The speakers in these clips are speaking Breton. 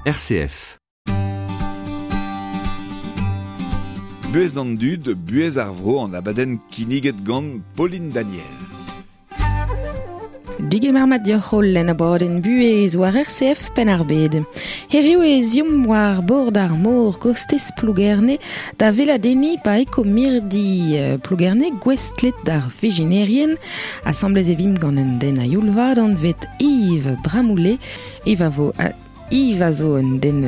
RCF. Buhez an dud, buhez ar vro an abadenn kinniget gant Pauline Daniel. Digemer mat dioc'h holl en abadenn buhez war RCF Penn-ar-Bed. Hiriv e ziomp war bord ar mor kostez Plougerne da veladenniñ pa eko mirdi Plougerne gouestlet d'ar veginerien. Asambles e vimp gant un den a youl vat anvet Yves Bramoulet. Yves a vo Yves a zo un den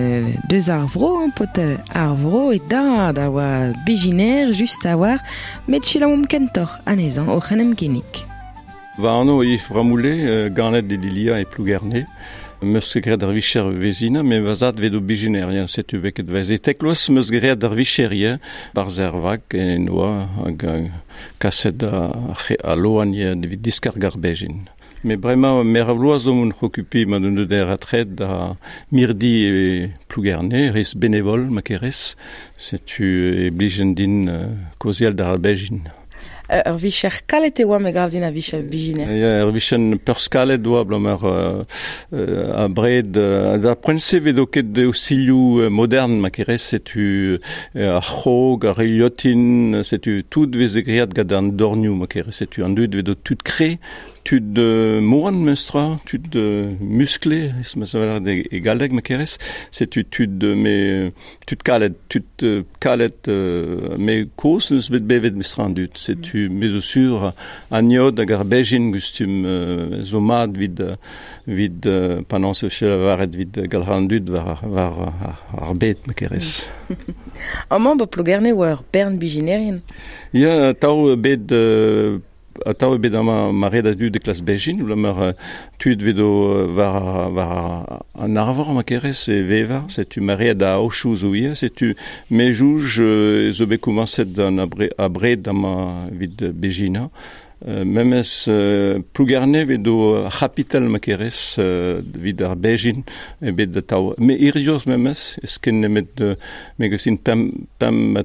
deus ar vro, paotr ar vro e dad a oa bezhinaer just a-walc'h, met selaouomp kentoc'h anezhañ oc'h en em ginnig. Va anv Yves Bramoulet, ganet e Lilia e Plougerne. Meus ket graet ar vicher vezhina, met va zad 'vet o bezhinaer, ya, setu bet ket vez. E tekloaz meus graet ar vicher ivez, barzh er vag en oa hag kaset al loan evit diskarg ar bezhin. Met bremañ meur a vloaz zo on okupiñ ma deus deut er retred da mirdi e Plougerne, rez benevol ma kerez. Setu e blijen din kaozeal d'ar bezhin. Ur vicher kalet e oa, me gav din, a vicher bezhiner. Ya, ur vicher peurskalet oa abalamour abred da poent-se 'vedo ket ostilhoù modern ma kerez, setu ar c'hrog, ar rilhotin, setu tout 'veze graet gant an dornioù ma kerez, setu an dud 'vedo tud kre, Tud moan memestra, tud musklé, ma saver e galleg ma kerez, setu tud me tud kalet, tud kalet me kozh n'eus bet bevet memestra an dud. Setu me zo sur an yod hag ar bezhin gustum zo mat evit evit penaos e vije lavaret evit galc'hañ an dud war war ar bed ma kerez. Amañ ba Plougerne oa ur bern bezhinerien. Ya, atav bet Atav eo bet amañ maread a dud e klas Bezhin, abalamour tud 'vedo war war an arvor ma kerez e vevañ, setu maread a aochoù zo ivez, setu me 'soñj zo bet komañset an abred amañ evit bezhinañ. Memes Plougerne 'vedo ar c'hapital ma kerez evit ar bezhin eo bet atav. Met hiziv memes, ez ket nemet me 'gav din pemp pemp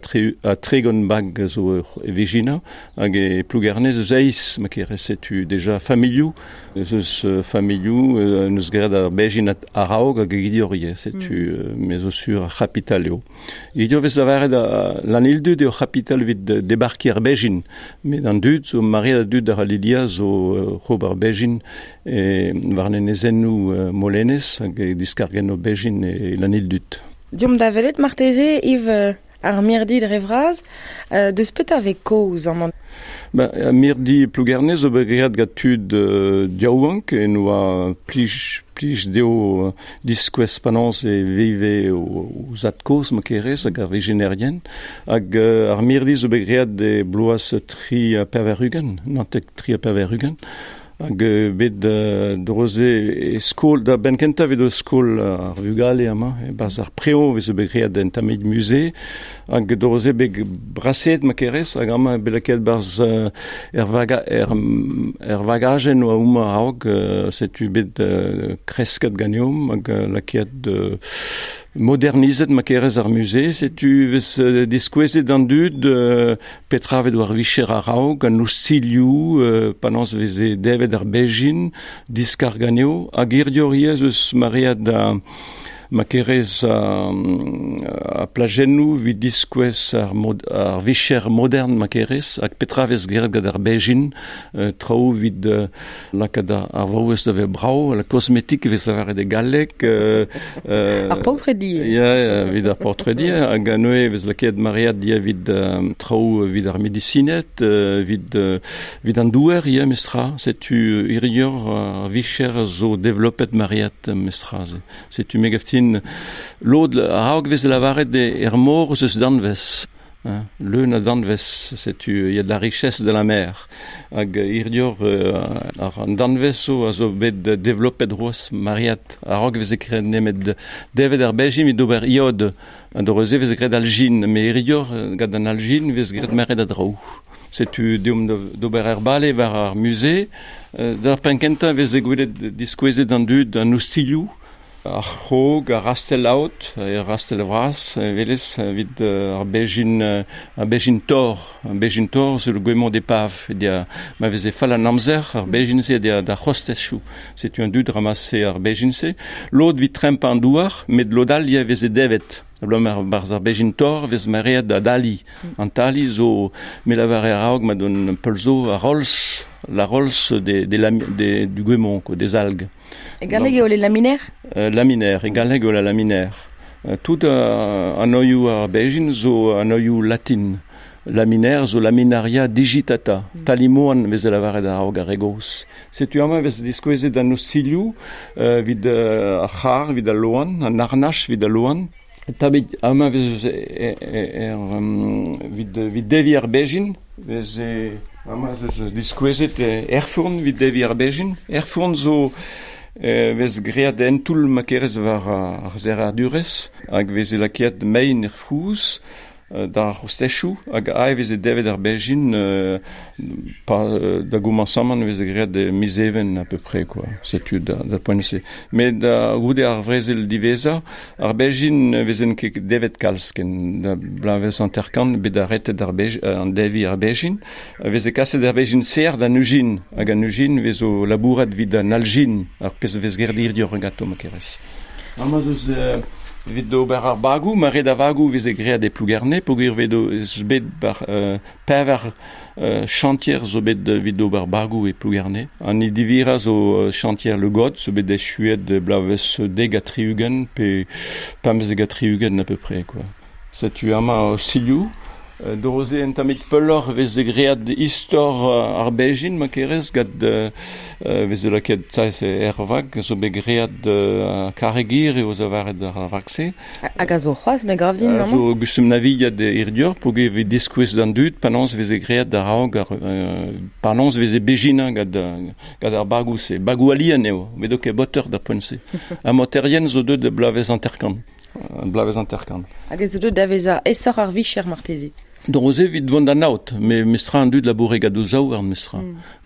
ha 30 bag zo e vezhinañ. Hag e Plougerne ez eus eizh ma kerez setu deja familhoù ez eus familhoù n'eus graet ar bezhin a-raok hag hiziv ivez setu me zo sur ar c'hapital eo. Hiziv e vez lavaret Lanildud eo c'hapital evit debarkiñ ar bezhin met an dud zo maread a dud a ra Lilia zo oc'h ober bezhin e war an enezennoù Molenez hag e diskargenno bezhin e Lanildud. Deomp da welet marteze Yves Ar mirdi dre vras, deus petra 'vez kaoz amañ? Ba, mirdi Plougerne zo bet graet gant tud yaouank en oa plij, plij dezho diskouez penaos e veve o zad-kozh ma kerez hag ar vezhinerien. Hag ar mirdi zo bet graet e bloaz 83, 93 ha 80. Hag bet dro-se e skol, da benn-kentañ evit skol ar vugale amañ, e-barzh ar prev 'veze bet graet un tammig musée, hag dro-se bet braseet ma kerez, hag amañ bet lakaet 'barzh er vaga er, er vagajenn oa homañ a-raok, setu bet kresket ganeomp hag lakaet Modernizet ma kerez ar musée, setu 'vez diskouezet d'an dud petra 'vet war vicher a-raok, an ostilhoù, penaos 'veze devet ar bezhin, diskarg anezho, hag hiziv ivez eus maread ma kerez ar plajennoù 'vit diskouez ar mod ar vicher modern ma kerez, hag petra 'vez graet gant ar bezhin, traoù 'vit Lakaat ar vaouez da vezañ brav, la kosmetik e vez lavaret e galleg. Ar paotredi. Ya, evit ar paotredi. Hag neuze e vez lakaet maread evit traoù evit ar medisined, evit, evit an douer ivez mestra. Setu hiziv ar vicher zo developet maread mestra. Setu me gav din lod a-raok 'vez lavaret er mor eus danvez. Leun a danvez, setu il y a de la richesse de la mer. Hag hiziv ar danvez zo a zo bet developet c'hoazh maread. A-raok e veze graet nemet devet ar bezhin evit ober iod. An dro-se e veze graet aljin, met hiziv gant an aljin e vez graet maread a draoù. Setu deomp d'ober ar bale war ar musée. D'ar penn kentañ e veze gwelet diskouezet an dud an ostilhoù. Ar c'hrog, ar rastel aot, ar rastel vras, velez, evit ar bejin tor. Ar bejin tor, c'est le goémon d'épave. Dia, ma veze fall an amzer, ar bejin-se dia da c'hostezchou. Setu un dud ramasse ar bejin-se. Lod vit tremp an douar, met lod all ya veze devet. Blom ar barz ar bejin tor vez mareet da dali. An tali zo me lavare araog ma don peulzo a rolz, la rolz de, du goémon, quoi, des algues. E galleg eo le laminaire? Laminaire, e galleg eo la laminaire. Tout an oioù ar bejin zo an oioù latin. Laminaire zo laminaria digitata. Talimoan vez lavaret araog ar regoz. Setu amañ vez diskouezet an ostilioù vid ar c'har, vid al loan, an arnach vid al loan. Tabit amañ vez vid devi ar bejin, vez amañ vez diskouezet erfurn vid devi ar bejin. Erfurn zo vez great en toull ma kerez war ar zerradurez, hag vez lakeat mein er frouz, d'ar c'hostezhioù, hag ae veze devet ar bejin, pa da gomañsamant veze graet de miz even à peu près, quoi. Setu da poent-se. Met da goude ar vrezel diwezhañ, ar bejin vezen ket devet kalz ken da blavez hanter-kant bet arretet ar bej, an devi ar bejin, veze kaset ar bejin ser d'an ujin, hag an ujin vezo labourat vid an aljin, ar pezh vez gerdir dior ganto ma kerez. Amañ eus Evit d'ober ar bagou, ma red a vagou veze graet e Plougerne, peogwir vedo eus bet bar pevar chantier zo bet evit d'ober bagou e Plougerne. An idivira zo chantier Le God, zo bet echuet blavez deg a tri-ugent, pe pemzeg a tri-ugent à peu près, quoi. Setu amañ silioù. Doroze en tammig peuloc'h veze graet istor ar bejin ma kerez gant veze laket sa er vag zo bet graet karregir eo zo varet ar vag-se. Hag a zo c'hoazh, me grav din, A zo gustum navigat irdior peogwir vez diskouez d'an dud penaos veze graet d'ar raog ar penaos veze bejinañ gant ar bagou-se. Bagou alien eo, met ket boteur da poent-se. Ha moterien zo deut de blavez hanter-kant. Blavez hanter-kant. Hag ez zo deut da vezañ esoc'h ar vicher marteze. Doroze vit vont d'an aot, me mestra an dud laboure gant o zaou ar mestra.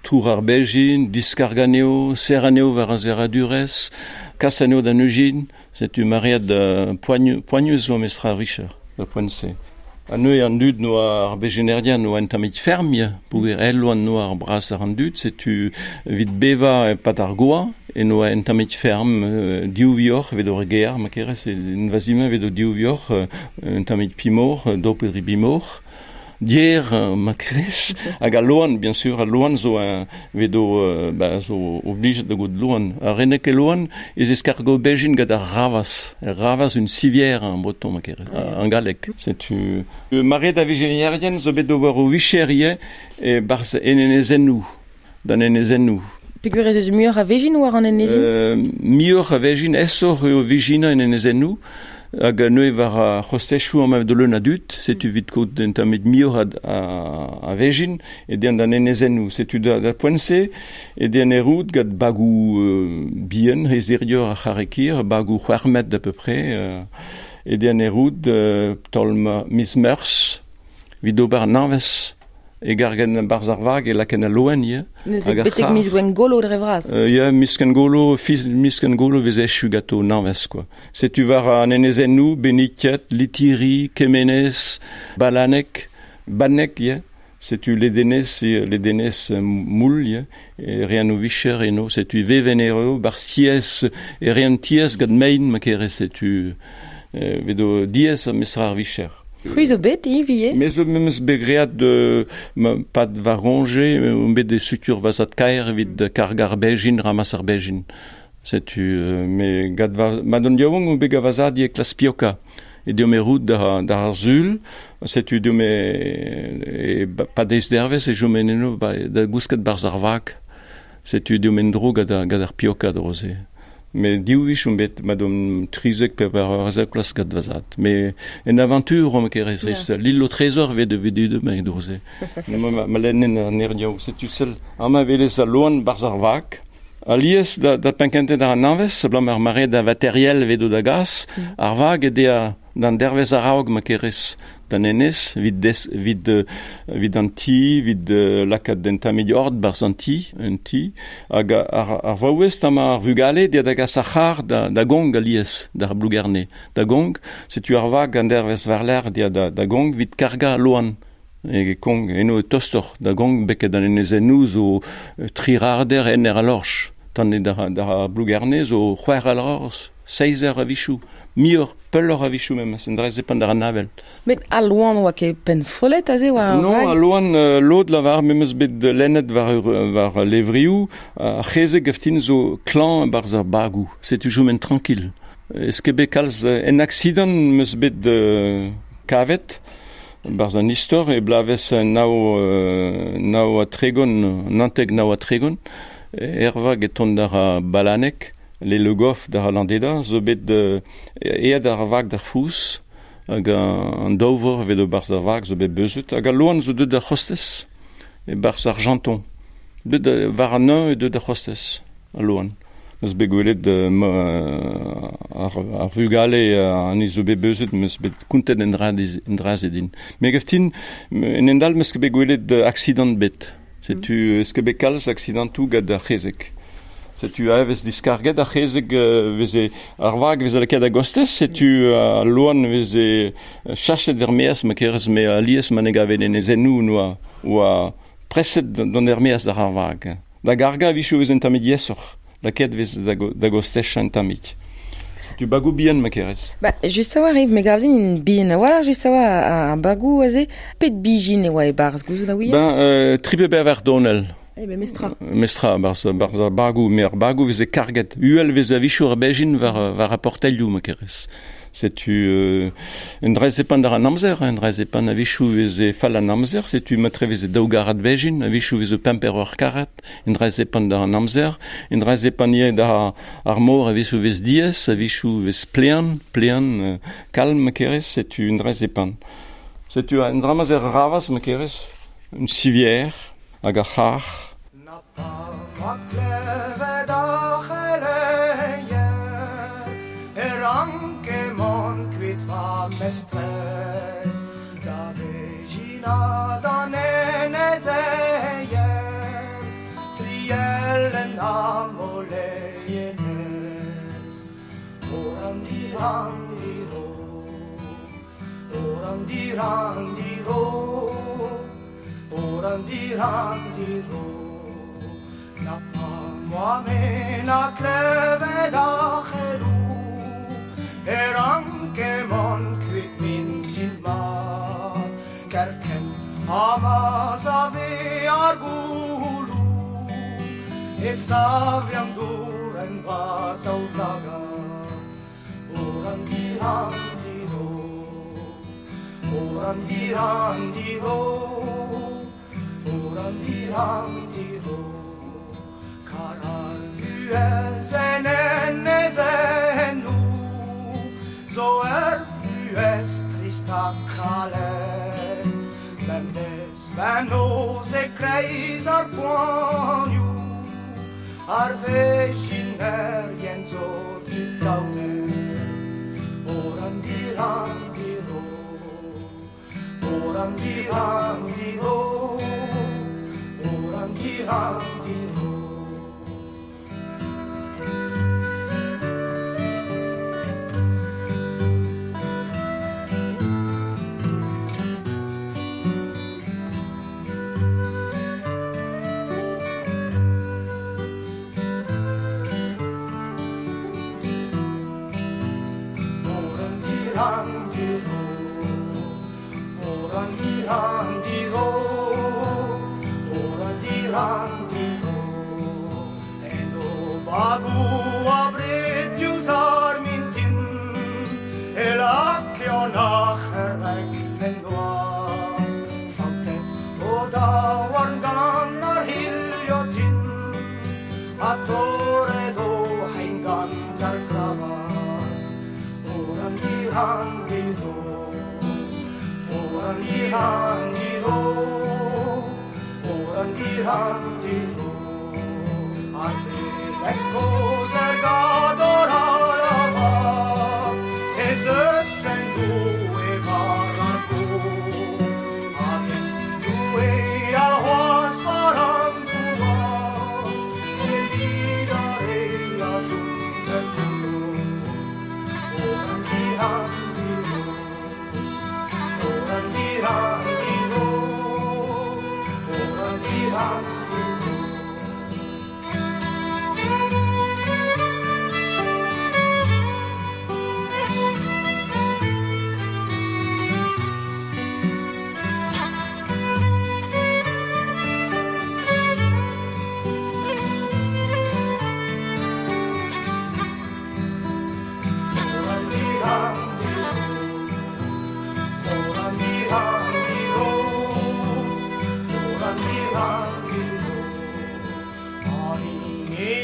Tour ar bejin, diskarg anezho, serr anezho war ar zerradurez, kas anezho d'an ujin, setu maread poagnus zo mestra ar vicher, da poent-se. An neuze an dud noa ar bejinerien noa un tammig ferm, ya, peogwir el oan noa ar bras ar an dud, setu vit beva pat ar goa, e noa un tammig ferm div vioc'h evit ur gear, ma kerez, un vazima evit o div vioc'h, un tammig pimor, do pe dri bimor, dier ma kerez, hag al loan, bien sûr, al loan zo un vedo ba, zo oblijet da gout loan. Ar renek e loan, ez eskargo bejin gant ar ravaz. Ar ravaz une civière en breton, ma kerez, en galleg. Setu maret a vijenierien zo bet d'ober o vicherie e barz en enezennoù, d'an enezennoù. Peogwir ez eus muioc'h a vejin war an enezin? Muioc'h a vejin, esoc'h eo vijinañ en enezennoù, hag neuze war ar c'hostezhioù amañ de leun a dud, setu vit kaout un tammig muioc'h a vejin, e dean d'an enezennoù. Setu da poent-se, e dean e rout gant bagou bihan, he zirior ar c'harrekir, bagou c'hwec'h à peu près, e dean e rout taol miz meurzh, vit ober nañvez. E gargen barz ar vag e laken al loen, ya. Neuze betek miz Gwengolo dre vras. Ya, miz Gwengolo, miz Gwengolo vez echu gato nañvez, quoi. Setu war an enezennoù, Beniket, Litiri, Kemenez, Balanek, Banek, ya. Setu ledenez, ledenez moul, ya. E rean o vicher eno, setu veven eo, bar siez, e rean tiez gant mein, ma kerez, setu vedo diez mestra ar vicher. C'hwi zo bet, ivie? Me zo memes bet graet de pad varonje, um bet de sutur vazat kaer evit karg ar bejin, ramas ar bejin. Setu, me gad va, ma don diaouang um bet gavazad e klas pioka. E deomp e rout da ar zul, setu deomp e pad eiz dervez e jom en eno da gousket barz ar vag. Setu deomp en dro gant ar pioka droze. Me div wech on bet ma dom trizek pe war ar klas gant vazad. Me en aventure om kerez res. L'île au trésor vet de vedu de me droze. Ma lennen an erdiaou. Setu sel amañ velez al loan barz ar vag. Alies da penkentet ar nañvez, blam ar mare da materiel vedo da gas, ar vag e dea d'an dervez araog ma kerez d'an enez, vid des, vid, vid an ti, vid lakaat den tammig ord barz an ti, un ti, hag ar vaouez tam ar vugale dia da gas ar c'har da gong alies, d'ar Plougerne. Da gong, setu ar vag an dervez varler dia da gong vid karga loan. E kong, eno tostor, da gong beket an enezennoù zo tri rarder en er a lorch. Tan e d'ar Plougerne zo c'hwec'h a lorch, seizer a vichou, miur, peulor a vichou memes, en drez epan d'ar navel. Met al loan oa ket penfollet aze oa ar Non, vag? Al loan lod lavar memes bet lennet war levrioù, ar c'hezeg gaftin zo klan barz ar bagou. Setu joumen tranquille. Ez ket bet kalz en accident meus bet kavet, barz an istor, e blavez nao a tregon, nanteg nao a tregon, ervag e tont d'ar balanek, le Le Goff d'ar Landeda, zo bet ead ar vag d'ar fous, hag an daouvor vet o barz ar vag zo bet beuzet, hag al loan zo deut d'ar c'hostez, e barz ar janton. Deut war an un e deut d'ar c'hostez, al loan. Meus bet gwelet ar vugale an zo bet beuzet, meus bet kontet en dra ze din. Me gaftin, en endal meus ket bet gwelet accident bet. Setu eus ket bet kalz accidentoù gant ar c'hezeg. Setu a vez diskarget ar c'hezeg veze ar vag veze lakaet a gostez, setu al loan veze chachet er meaz ma kerez me alies ma ne gavet en ezennoù noa oa preset d'an er meaz d'ar ar vag. Da garga vichou vez en tammig yesoc'h, lakaet vez da gostez en tammig. Setu bagou bihan ma kerez. Ba, just a oa Yves, me gav din in bihan. Voilà, just a oa ar bagou aze, pet bijin e oa e barz gouzout a ouie? Ben, tri pe bevar donel. Eh ben, mestra. Mestra, barz ar bagou, me ar bagou veze karget. Uel veze a vichou ar bejin war a portelioù, ma kerez. Setu un drez epan d'ar an amzer, un drez epan a vichou veze fall an amzer, setu matre veze daou garad bejin, a vichou veze pemper ur karat, un drez epan d'ar an amzer, un drez epan ie d'ar ar mor a vichou vez diez, a vichou vez plean, kalm, ma kerez, setu un drez epan. Setu un dramaz er ravaz, ma kerez, un sivier, hag ar c'har. Na pa ma klevet ar c'heleier, e ranke mont kuit va mestrez, da vejina d'an enezeier, triellen amoleienez. Oran dirandiro, oran dirandiro, oran dirandiro. Na pa moa me na klevet ar c'helou, e ranke mont kuit mintin mat, kerkent ha ma save ar goulou, e save an dour en war daoulagad. Oran dirandiro, oran dirandiro, oran dirandiro. Kar ar vuhez en enezennoù, zo ur vuhez trist ha kalet. Bemdez bemnoz e kreiz ar poanioù, ar vejinerien zo tud daounet. Oran dirandiro, oran dirandiro, oran dirandiro.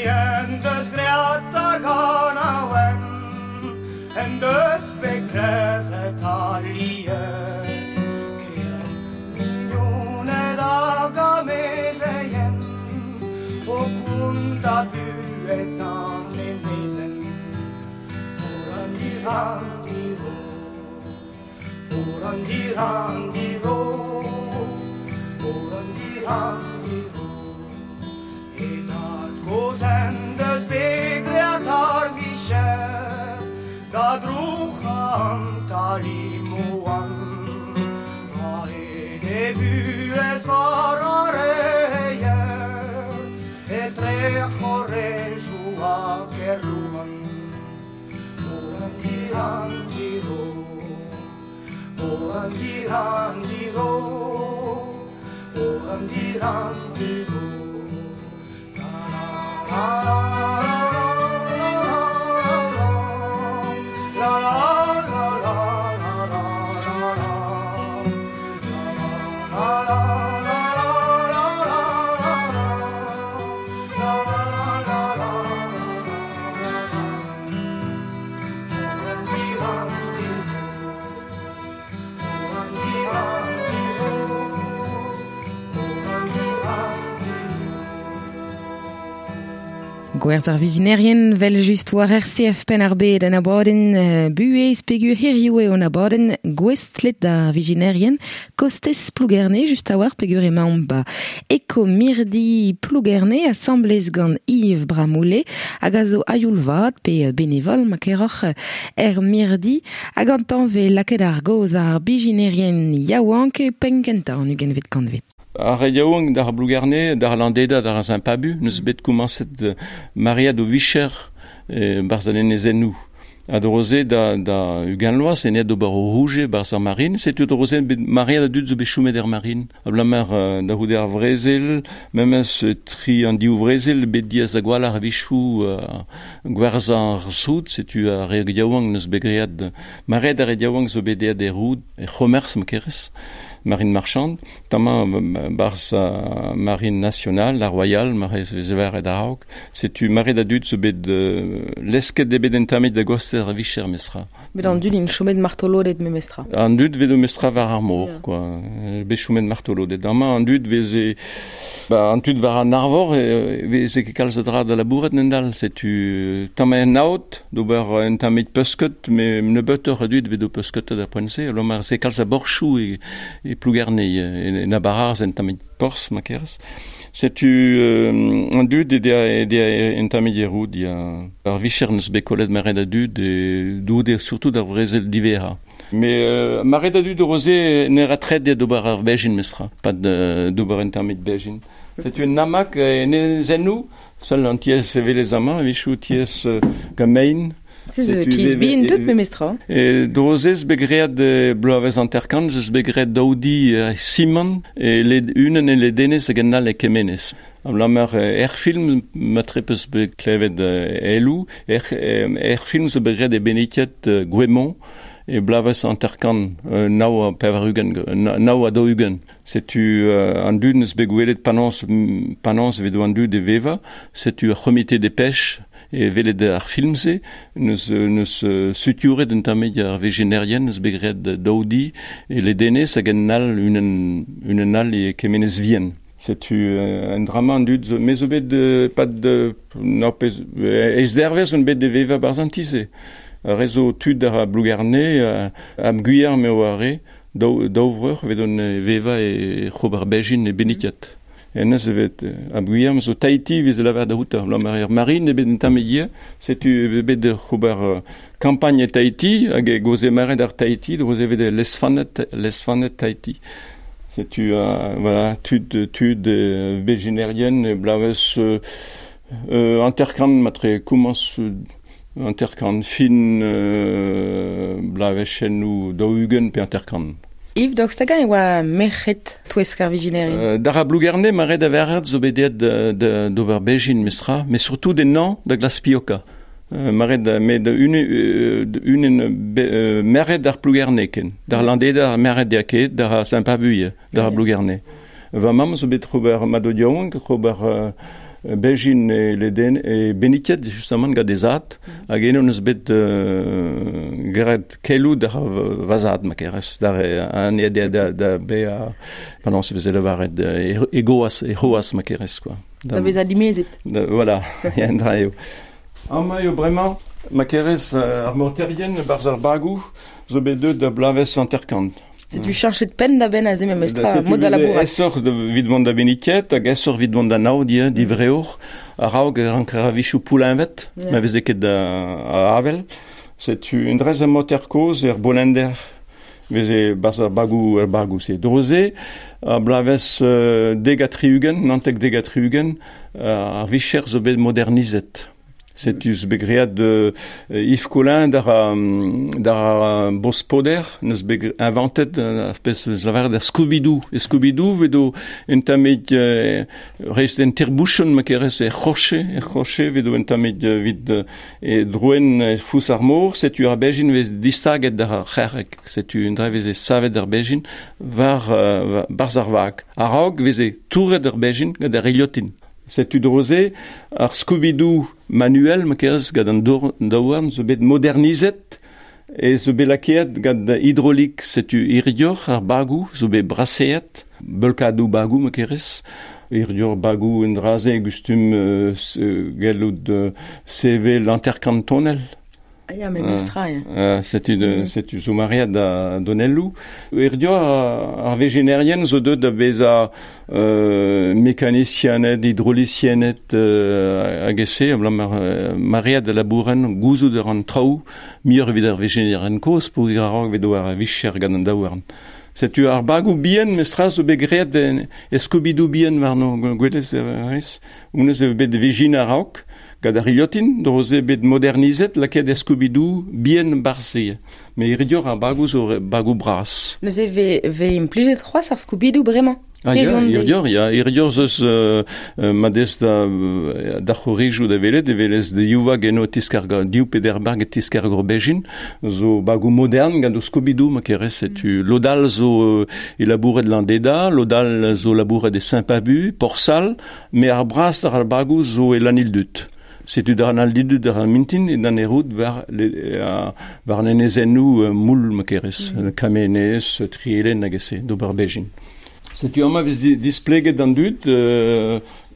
En deus great ar ganaouen, en deus bet klevet alies, keren mignoned hag amezeien, o konta buhez an enezenn. Oran-diran-diro, oran-diran-diro, oran-diran-diro. E dad goz en deus bet great ar vicher, da drouc'h an talimoan. A-hed e vuhez war ar reier, etre c'horrejou ha Kerlouan. Oran-diran-diro, oran-diran-diro, oran-diran-diro. La la la la la la la la la la. La la la la la la la. La la la la la la. Oran-diran-diro, oran-diran-diro, oran-diran-diro. Gwerz ar vizinerien vel just war RCF Penn-ar-Bed an abadenn buhez pegur hiriv eo an abadenn gouestlet d'ar vizinerien kostez Plougerne just a war pegur emaomp ba Eko-mirdi Plougerne asamblez gant Yves Bramoulet hag a zo aioul vat pe benevol ma keroc'h er mirdi hag an tamm ve lakaet ar gaoz war ar bijinerien yaouank e penn kentañ an ugentvet kantved. Ar re yaouank d'ar Plougerne, d'ar Landeda, d'ar Saint-Pabu, neus bet komañset mariad o vicher barzh an enezennoù. Ha droze da ugent loaz, en d'ober o rouge barzh ar marine, setu droze bet mariad a dud zo bet choumet er marine. Abalamour da c'houde ar vrezel, memes tri an div vrezel, bet diaz a gwall ar vichou gwerzhañ ar soud, setu ar re yaouank neus bet great. Mariad ar re yaouank zo bet eat er roud, e c'homerz ma kerez, marine marchande, tamañ barzh marine nationale, la royale, mare vezever et araok. Setu mariad a dud zo bet lesket de bet entamet da goster ar vicher mestra. Bet an dud in chomet martolodet me mestra. An dud vedo mestra war ar mor, Yeah. quoi. Bet chomet martolodet. Amañ an dud veze ba, an dud war an arvor veze ket kalz a dra da labouret nendal. Setu tamañ en aot d'ober un tammig peusket, me nebeutoc'h a dud vedo peusket da poent-se. Lomar se kalz a borchou e Plougerne, e na bararz en tammig porzh ma kerez. Setu an dud e dea en tammig e roud, ya ar vicher neus bet kollet maret a dud e doude surtout ar vrezel divera. Mais maret a dud roze ne ra tret d'ober ar bejin mestra, pas d'ober en tammig bejin. Setu un namak ne zennou, seul an tiez evel amañ, vichou tiez gamein. Se zo tiez bin tout me mestra. E drozez bet great bloavezh anterkant, zeus bet great daoudi Simon, e led unen e ledenez hag en all e kemenez. Abalamour er film ma trepez bet klevet elou, er film zo bet great e benetiet Gouemont, e bloavezh anterkant nao a pevar-ugent, nao a daou-ugent. Setu an dud neus bet gwelet panans vedo an dud e veva, setu ar c'homite de pêche e velet ar film-se, neus suturet un tammig ar vejenerien, neus bet great daoudi e ledenez hag en all unen all e kemenez vien. Setu un drama an dud zo, me zo bet pad no pez, ez dervez on bet de veva barzh an ti-se. Ar re zo tud ar Plougerne, am guiar me oa re, daou vreur vet on veva e c'hober bejin e benitiat. Enez evet am guiar zo Tahiti vez lavar da houta. La mar marine bet un tamm egia, setu bet c'hober campagne e Tahiti, hag e goze maret ar Tahiti, droze vet lesfanet Tahiti. Setu voilà, tud bejinerien, blavez anterkant matre komañs anterkant fin blavechen daou-ugent pe anterkant. Yves daoust hag e oa merc'hed touesk ar vijinerien. D'ar a Plougerne, maret a verret zo bet deet d'ober bejin mestra, mais surtout des nan da glas pioka. Maret met unen merc'hed ar Plougerne ken. D'ar Landeda ar merc'hed ya ket, d'ar Saint-Pabu, d'ar Plougerne. Va mamm zo bet ober mado yaouank, ober Bejin e leden e Beniket justement gant e zad, hag eno neus bet graet keloù d'ar vazad ma kerez, d'ar an e da bezañ penaos e veze lavaret e goaz, e c'hoaz ma kerez quoi. Da vezañ dimezet. Voilà, ya un dra eo. Amañ eo bremañ ma kerez ar morterien barzh ar bagoù zo bet deuet da bloavezh 50. Setu cheñchet penn da benn aze memestra mod da labourat. Aesoc'h evit mont da Beniket hag aesoc'h evit mont da Naod ivez, divreour. A-raok e ranker a-wechoù pouleñvet, ma veze ket a avel. Setu un dres a moter kozh er Bolender veze barzh ar bagoù er bagoù-se. Dro-se, ar bloavezh 70, 79, ar vicher zo bet modernizet. Setu zo bet graet Yves Collin d'ar d'ar Bospoder neus bet inventet ar pezh eus lavaret ar Scooby-Doo. E Scooby-Doo vedo un tammig rest en tirbouchon ma kerez e c'hroche vedo un tammig evit e droen e fous ar mor. Setu ar bejin vez distaget d'ar c'herreg. Setu un dra veze savet ar bejin war barzh ar vag. A-raok veze touret ar bejin gant ar iliotin. Setu dro-se ar Scooby-Doo manuel ma kerez gant an daouarn zo bet modernizet e zo bet lakaet gant hidrolik. Setu hiziv ar bagoù zo bet braseet, beulkadoù bagoù ma kerez. Hiziv bagoù un dra-se gustum gellout sevel hanter-kant tonell. Ah ya, memestra, ya. Setu setu zo maread da donelloù. Hiziv ar vejenerien zo deuet da vezañ mekanisianed, hidrolisianed hag e-se, abalamour maread da labouren gouzout a ran traoù muioc'h evit ar vejenerien kozh peogwir a-raok evedo ar vicher gant an daouarn. Setu ar bagoù bihan mestra zo bet graet e Scooby-Doo bihan warno gwelez rez. Honnezh eo bet vegin a-raok. Gant ar iliotin, dro-se bet modernizet, lakaet e Scooby-Doo bihan barzh-se. Met hiziv ar bagoù zo bagoù bras. Neuze vez implijet c'hoazh ar Scooby-Doo bremañ? Ah ya, hiziv, ya, hiziv 'z eus ma dez da c'horijoù da welet, e welez da div vag eno tiskargañ, div pe der bag e tiskarg ur bezhin, zo bagoù modern gant o Scooby-Doo ma kerez, setu lod all zo e labouret Landeda, lod all zo labouret e Saint-Pabu, Porsal, met ar bras ar bagoù zo e Lanildut. Setu d'ar Lanildut d'ar mintin e d'an errout war, war an enezennoù moul ma kerez, Kamenez, Trielen hag e-se, d'ober bezhin. Setu amañ vez displeget d'an dud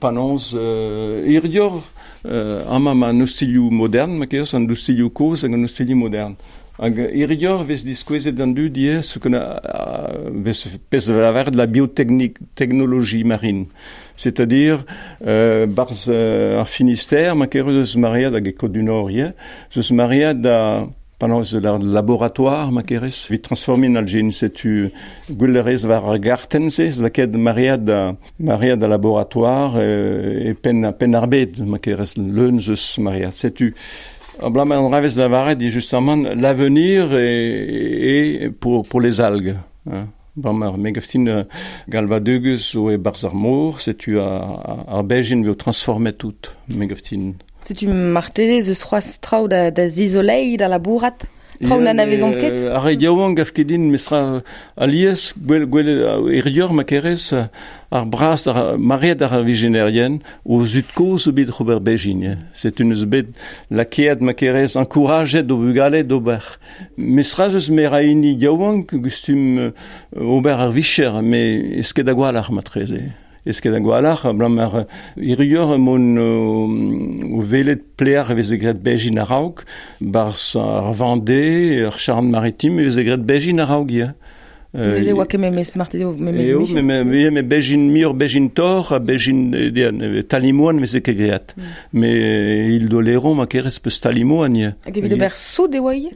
penaos hiziv amañ ma an ostilhoù modern ma kerez, an ostilhoù kozh hag an ostilhoù modern. Hag hiziv vez diskouezet d'an dud ivez ce qu'on a vez pezh lavaret la biotechnologie marine. C'est-à-dire barzh ar Finistère ma kerez eus maread hag e Côte-du-Nord ivez, eus maread da penaos ar laboratoire ma kerez evit transformiñ an algen. Setu gwell a rez war ar gartenn-se, lakaet maread da laboratoire e penn ar bed ma kerez leun eus maread. Setu abalamour an dra vez lavaret eo justement l'avenir est pour les algues. Hein. Bremañ me gav din galvadegus zo e-barzh ar mor, setu ar bezhin eo transformet tout, me gav din. Setu marteze eus c'hoazh traoù da zizoleiñ, da labourat, traoù n'anavezomp ket. Ar re yaouank gav ket din mestra alies gwell gwell hiziv ma kerez ar bras ar maread ar vijenerien o zud-kozh zo bet oc'h ober bezhin. Setu neus bet lakaet ma kerez encourajet o bugale d'ober. Mestra eus me ra hini yaouank gustum ober ar vicher, met ez ket a-gwalc'h matreze. Ez ket a-gwalc'h, abalamour hiziv emaon o welet pelec'h e veze graet bezhin a-raok, barzh ar Vendée, ar Charente-Maritime e veze graet bezhin a-raok ivez. Neuze oa ket memes marteze memes Eo, me bezhin muioc'h bezhin torr ha bezhin talimoan veze ket graet. Mais il d'Oléron ma kerez peus talimoan ivez. Hag evit ober soud e oa ivez?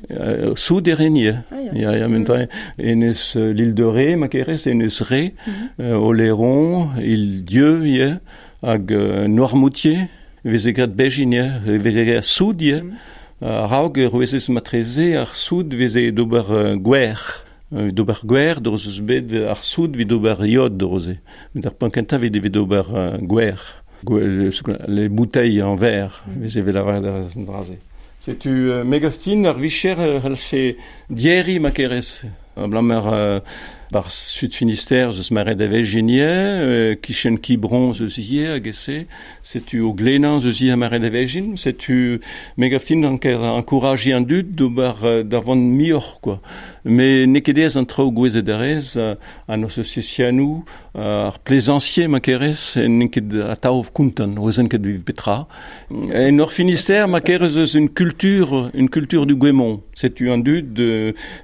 Soud e ren ivez. Ya, ya, mentoa enez l'île de Ré ma kerez, enez Ré, Oléron, île Dieu ivez, hag Noirmoutier veze graet bezhin ivez, veze graet soud ivez. A-raok e rouezez matreze ar soud veze d'ober gwer. D'ober gwer, d'ober eus bet ar soud evit ober iod d'ober-se. Met ar penn kentañ evit ober gwer. Les bouteilles en verre, veze vet lavaret ar dra-se. Setu megastin ar vicher c'hellfe dieri ma kerez. Blamer bar sud Finistère zeus maret ave genie, kichen kibron zeus ie hag ese, setu o glenan zeus ie maret ave gin, setu megaftin anker encouraji an dud d'ober da vont mioc'h, quoi. Mais n'eo ket aes an traoù gouezet a rez, an associationou, ar plaisancier ma kerez, n'eo ket atav kontant, oezen ket viv petra. En ur Finistère ma kerez eus une culture du Guémont. Setu an dud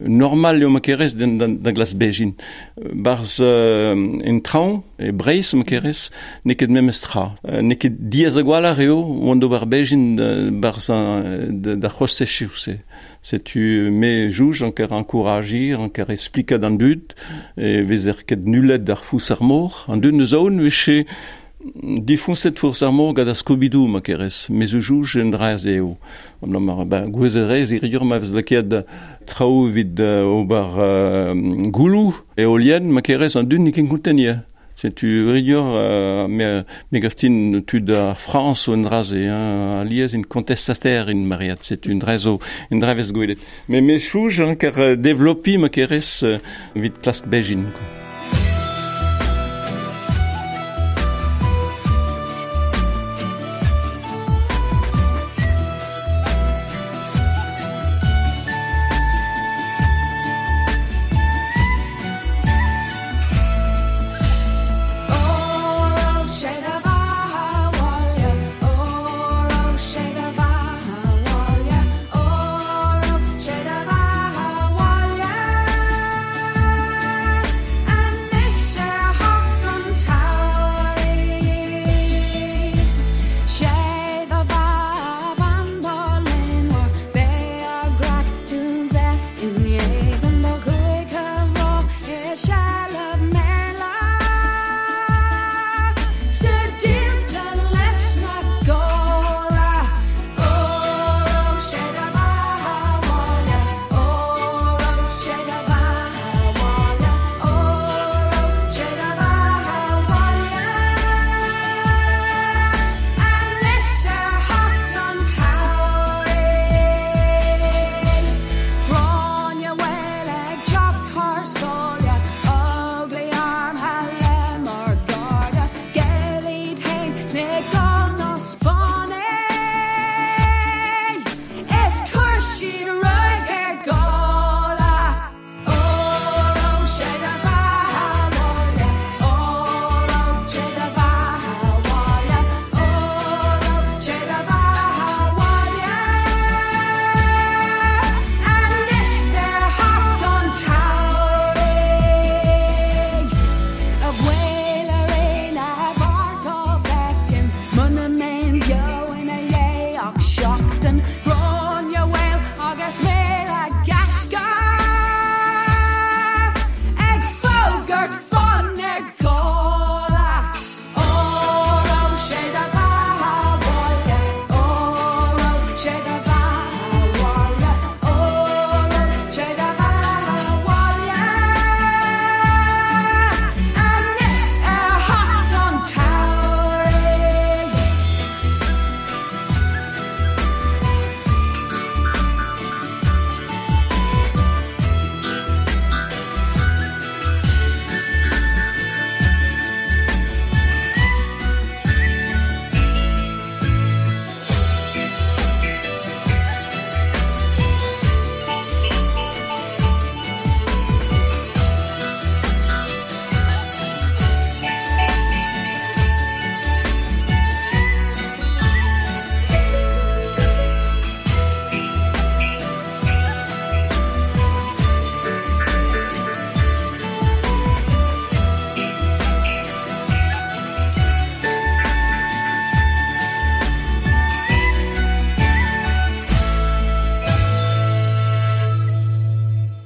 normal eo ma kerez da glas bejin. Barz en traoñ, e Breizh ma kerez, n'eo ket memes tra. N'eo ket diaz a gwalc'h eo oan d'ober bejin barz da c'hostezioù-se. Setu me jouj anker encouragir, anker explikat an dud, e vezer ket nullet d'ar fous ar mor. An dud neus aon veche difonset fous ar mor gant ar Scooby-Doo ma kerez, me zo jouj en dra eo. Ben, gouezet rez, iriur ma vez lakaet traoù evit ober goulou eolien ma kerez an dud n'eo ket kontent ivez. Setu iriur me gaftin tud ar Frañs o en dra-se, hein, alies in contestataire in mariad, setu un dra zo un dra vez gwelet. Mais me chouj hein, ker développi ma kerez evit klask bejin, quoi. Ah.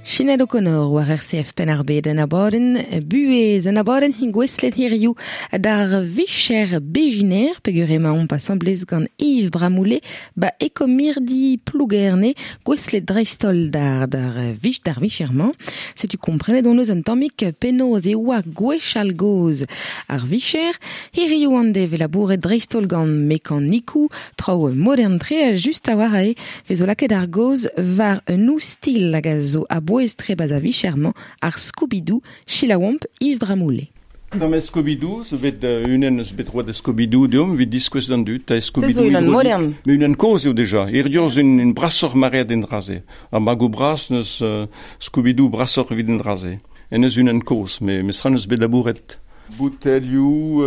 Sinéad O'Connor war RCF Penn-ar-Bed en abadenn buhez, en abadenn hin gouestlet hiziv d'ar vicher bejiner peogwir emaomp asambles gant Yves Bramoullé ba ekomirdi Plougerne gouestlet dreist-holl d'ar d'ar vich d'ar vicher-mañ. Setu komprenet hon eus un tammig penaos e oa gwechall gozh ar vicher. Hiziv an deiz 'vez labouret dreist-holl gant mekanikoù, traoù modern-tre just a-walc'h eo 'vezo lakaet ar gaoz war un oustilh hag a zo a-bouez-tre 'ba 'z vicher-mañ, ar Scooby-Doo. Selaouomp Yves Bramoullé. Da ma Scooby-Doo zo bet unan eus bet roet da Scooby-Doo deomp evit diskouez d'an dud. Ta Se zo Scooby-Doo unan modern. Mais unan kozh eo deja. Hiziv zo un brasoc'h maread en dra-se. Ar magoù bras n'eus Scooby-Doo brasoc'h evit en dra-se. En eus unan kozh, mais mestra n'eus bet labouret. Boutelioù,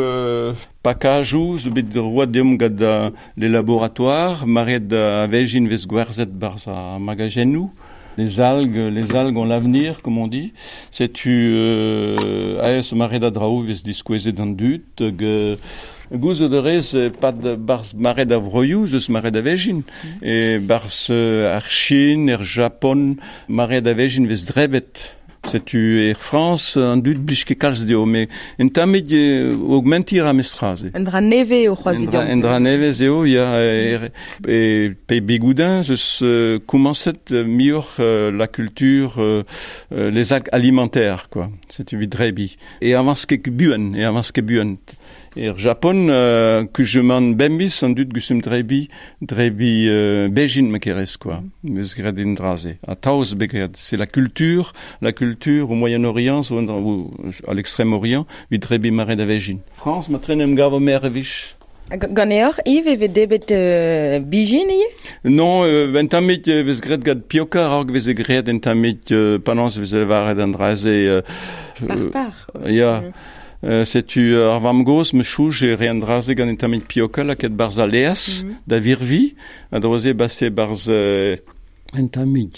pakajoù zo bet roet deomp gant les laboratoires, maread a vezhin vez gwerzhet 'barzh ar magajennoù. Les algues, les algues ont l'avenir, comme on dit. Setu aes maread a draoù vez diskouezet d'an dud hag gouzout a rez pad 'barzh maread a vroioù zeus maread a vezhin. E 'barzh ar Chin, er Japon, maread a vezhin vez drebet. Setu er Frañs an dud blij ket kalz dezho, met un tammig augmentiñ a ra mestra se. Un dra nevez eo c'hoazh Un dra, un dra nevez eo, ya, er, e pe Bigoudin zeus komañset muioc'h la culture, les algues alimentaires, quoi. Setu evit drebiñ. E avañs ket buan, e avañs ket buan. Er Japon, kuzumant bemdez an dud gustum drebiñ, drebiñ bezhin ma kerez, quoi. Vez graet en dra-se. Atav zo bet graet. C'est la culture, la culture au Moyen-Orient, zo ou à l'Extrême-Orient, evit drebiñ mare da vezhin. Frañs, ma tren em gavo mer e vich. Ganeoc'h, Yves, e vez debet bijin ivez? Non, un tammig e vez graet gant pioka a-raok e veze graet un tammig penaos e veze lavaret an dra-se. Par-par. Ya. Setu ar vamm-gozh ma chouj e re an dra-se gant un tammig pioka lakaet 'barzh al laezh da virviñ. Ha dro-se base 'barzh un tammig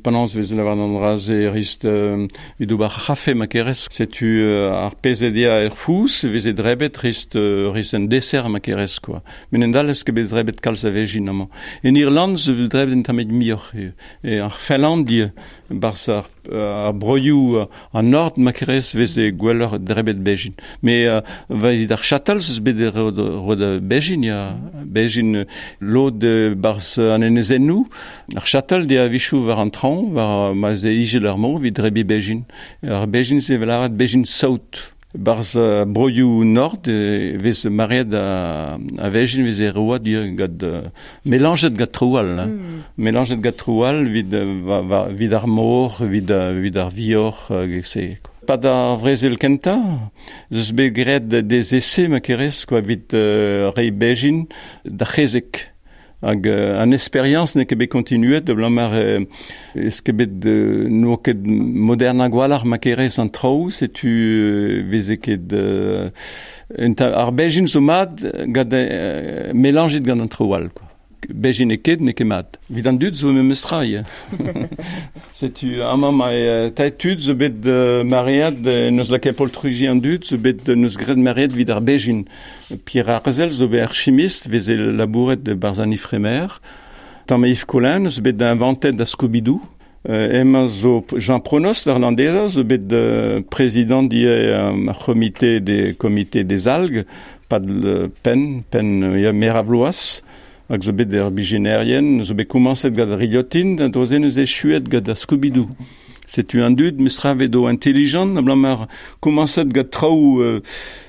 penaos e vez lavaret an dra-se rist evit ober ar c'hafe ma kerez. Setu ar pezh e dea er fouz e veze drebet rist rist un dessert ma kerez quoi. Met en dallez ket bet drebet kalz a vezhin amañ. En Irland zo bet drebet un tammig muioc'h. E ar Finland 'barzh ar ar broioù an nord ma kerez veze gwelloc'h drebet bezhin. Mais evit ar chatal eus bet roet bezhin ya. Bezhin lod 'barzh an enezennoù. Ar chatal de a-wechoù war an traoñ, war ma 'z eo ijel ar mor evit drebiñ bezhin. Ar bezhin-se 'vel lavaret bezhin saout. Barzh broioù nord e vez maread a vezhin veze roet gant melañjet gant traoù all. Melañjet gant traoù all evit evit ar mor, evit evit ar vioc'h hag se. Pad ar vrezel kentañ ez eus bet graet des essais ma kerez quoi evit reiñ bezhin d'ar c'hezeg. Hag an esperiañs n'eo ket bet kontinuet abalamour ez ket bet n'oa ket modern a-gwalc'h ma kerez an traoù, setu veze ket ar bezhin zo mat gant melañjet gant an traoù all quoi. Bezhin eo ket, n'eo ket mat. Evit an dud zo memes tra ivez. Setu amañ ma taet tud zo bet maread, n'eus lakaet poltreji an dud, zo bet n'eus graet maread evit ar bezhin. Pierre Arzel zo bet ar chimist, veze labouret barzh an Ifremer. Tamm Yves Collin zo bet inventet da Scooby-Doo. Emañ zo Jean Pronost ar Landeza zo bet prezidant ivez ar c'homite des comité des algues, pad penn, penn ya meur a vloaz. Hag zo bet ar bijinerien, zo bet komañset gant ar rilhotin, da droze neuze echuet gant ar Scooby-Doo. Setu an dud mestra vedo intelligent, abalamour komañset gant traoù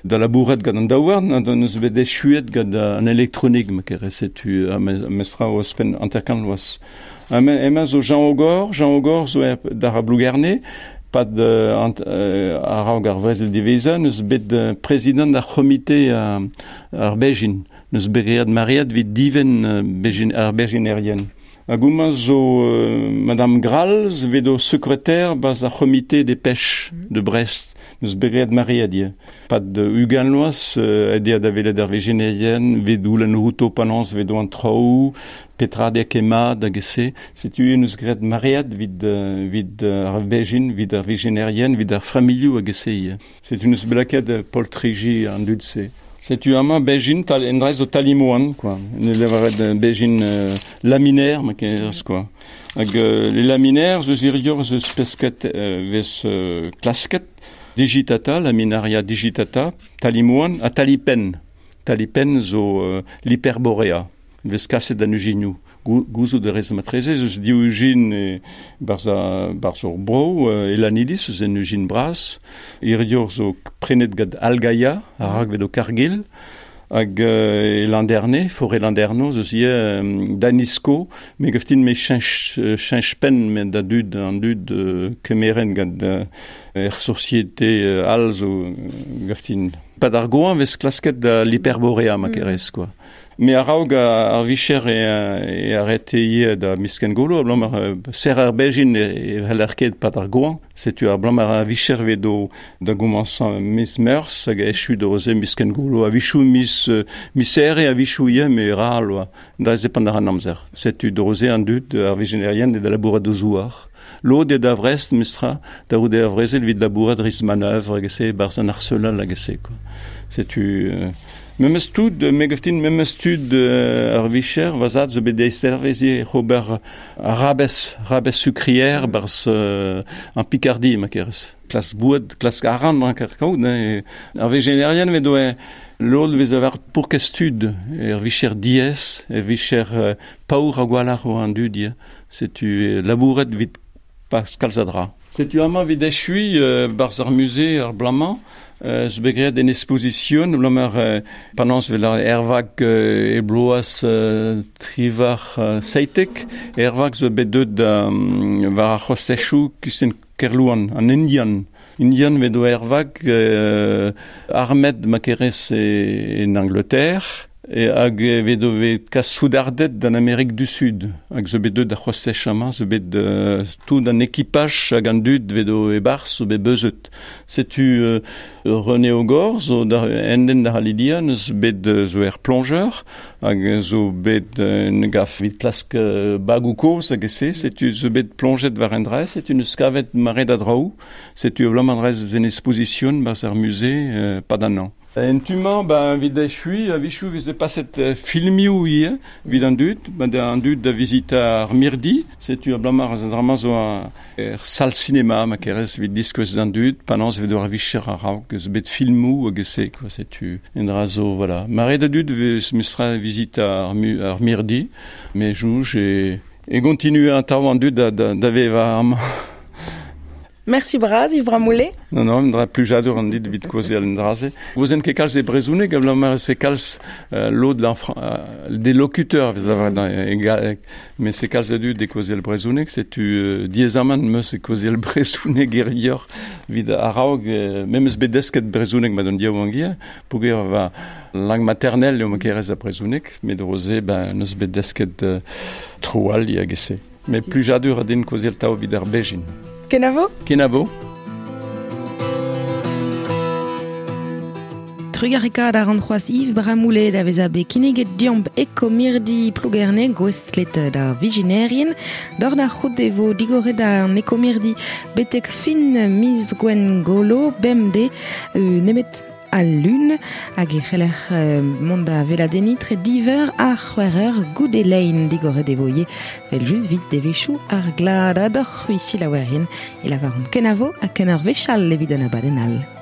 da labourat gant an daouarn, ha neus bet echuet gant an elektronik, ma kerez, setu mestra ouzhpenn hanter-kant vloaz. Emañ zo Jean Ogor, Jean Ogor zo d'ar Plougerne, pad a-raok ar vrezel diwezhañ, neus bet prezidant ar c'homite ar Bezhin. N'eus bet graet maread evit divenn ar bezhinerien. Hag homañ zo Madame Grall zo bet o sekreter 'barzh ar c'homite des pêches de Brest. N'eus bet graet maread ivez. Pad 20 vloaz aet eo da welet ar vezhinerien, 'vit goulenn outo penaos 'vedo an traoù, petra eo ket mat hag e-se. Setu n'eus graet maread evit evit ar vezhin, evit ar vezhinerien, evit ar familhoù hag e-se ivez. Setu n'eus bet lakaet poltriji an dud-se. Setu amañ bezhin tal en dra zo talimoan quoi. Ne lavaret bezhin laminaire ma kerez quoi. Hag les laminaires zeus irior zeus pesket vez klasket digitata, laminaria digitata, talimoan ha talipen. Talipen zo l'hyperborea. Vez kaset an ujignou. Gouzout de rez matreze, eus div ujin e barz, barz ur bro, elanidis, eus en ujin braz. Irior zo prenet gant Algaia, a rag vet o Kargil, hag e landerne, forêt landerno, eus ie Danisco, me gaftin me chench pen me da dud, an dud kemeren gant er société al zo gaftin. Pad ar goan vez klasket da l'hyperborea ma kerez, quoi. Me a-raok ar vicher e arrete ie da misken golo, a blam ar ser ar bejin e heller ket pad ar goan. Setu ar blam ar vicher vedo da gomansan mis meurs hag echu da roze misken golo. A vichou mis misere a vichou ie me ral oa. Da ze pan ar an amzer. Setu da roze an dud ar vijenerien e da labourat do zouar. Lod e da vrest mistra, da roude ar vrezel vid labourat riz manœuvre hag se barz an arselal hag se, quoi. Setu... Memes tud, me gaftin memes tud ar vicher, vazad zo bet deistervezie Robert Rabes, Rabes sucrière barz an Picardie, ma kerez. Klas boued, klas aran, an kerkaout, ne. Ar vegenerien ve doe lod vez avar pour kestud, er vicher diez, er vicher paour a gwalar o an dud, ie. Setu labouret vid Pascal Zadra. Setu amañ vid echui barz ar musée ar blamañ, zo bet graet en exposition, blam ar panans vel ar ervag e bloaz trivar seitek, ervag zo bet deut war ar c'hostechou kusen Kerlouan, an Indian. Indian vedo ervag armet ma kerez en Angleterre, e hag vedo vet kas soudardet d'an Amérique du Sud. Hag zo bet deut da c'hostech amañ, zo bet tout an ekipaj hag an dud vedo e barz zo bet beuzet. Setu René Ogor zo da enden da Halidia neus bet zo er plongeur hag zo bet un gaf vit klask bagou koz hag se, setu zo bet plonget war en drez, setu neus kavet mare da draoù, setu blam an drez en exposition barz ar musée pad an an. En tumañ, ba, vid echui, a vichou veze paset filmioù ie, vid an dud, ba, an dud da vizita ar mirdi, setu a blamar an drama zo er sal cinéma, ma kerez vid diskouez an dud, panans vid ar vicher ar raok, eus bet filmou hag se, quoi, setu en dra zo, voilà. Mare da dud vez mestra vizita ar mirdi, me jouj e continue an tav an dud da veva amañ. Merci braz, Yves Bramoulet. Non, non, dra plujadur an dit vit kozeal an draze. Gozen ket kalz e brezhoneg, a blam se kalz lod des locuteurs, vez lavar egal, mais se kalz a dud e kozeal brezhoneg, setu diezamant meus e kozeal brezhoneg erior vid a-raok, memes bet desket brezhoneg ma don diaou angia, pouger va langue maternelle eo ma kerez a brezhoneg, met roze, ben, neus bet desket tro all hag ese. Mais plujadur a din kozeal tao vid ar bejin. Kenavo? Kenavo. Trugarekaat ar an c'hoaz Yves Bramoulet da vez a bet kinniget diomp ekomirdi Plougerne gouestlet da vijinerien. Dor da c'hout e vo digoret an ekomirdi betek fin miz gwen golo bemde nemet al lun hag e c'heller mont da veladeni tre diver ar c'hwec'her goude lein digoret e voie vel just vit devechou ar glad a d'or c'hwi chilaouerien e lavar an kenavo ha ken ar vechal evit an abadenn all.